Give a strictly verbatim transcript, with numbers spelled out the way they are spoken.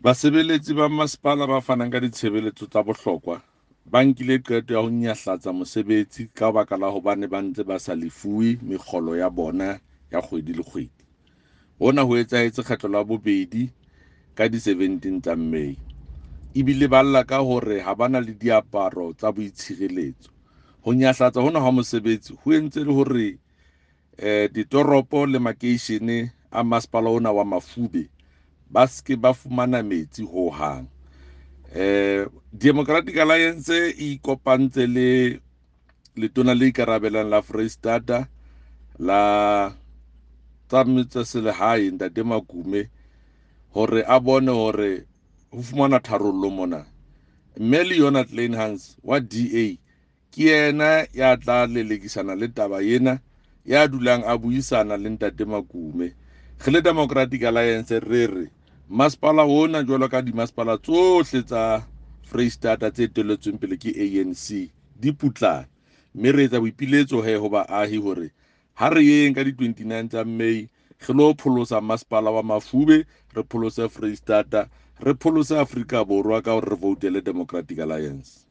Basebeletsi ba masepala ba fanang ka ditshebeletso tsa bohlokwa ba nkile qeto ya ho nyahlatsa mosebetsi ka baka la hobane ba ntse ba sa lefuwe mekgolo ya bona ya kgwedi le kgwedi. Hona ho etsahetse kgetlo la bobedi ka di seventeen tsa May. Ebile ba lla ka hore ha ba na le diaparo tsa boitshireletso. Ho nyahlatsa hona ha mosebetsi ho entse le hore eh ditoropo le makeishene a masepala ona wa Mafube ba ske ba fumana metsi ho hang. Eh Democratic Alliance e ikopantse le letona le ikarabelang la Freistata la tsa metse selehae Ntate Makume hore a bone hore ho fumana tharollo mona. Mme le yona Kleynhans wa D A ke yena ya tla lelekisana le taba ena, ya dulang a buisana le Ntate Makume. Re le Democratic Alliance re re masepala ona jwalo ka dimasepala tsohle tsa Freistata tse etelletsweng pele ke A N C di putlane, mme re etsa boipiletso he ho baahi hore ha re yeng ka di twenty-nine tsa May re lo pholosa masepala wa Mafube, re pholose Freistata, re pholose Afrika Borwa ka hore re voutele Democratic Alliance.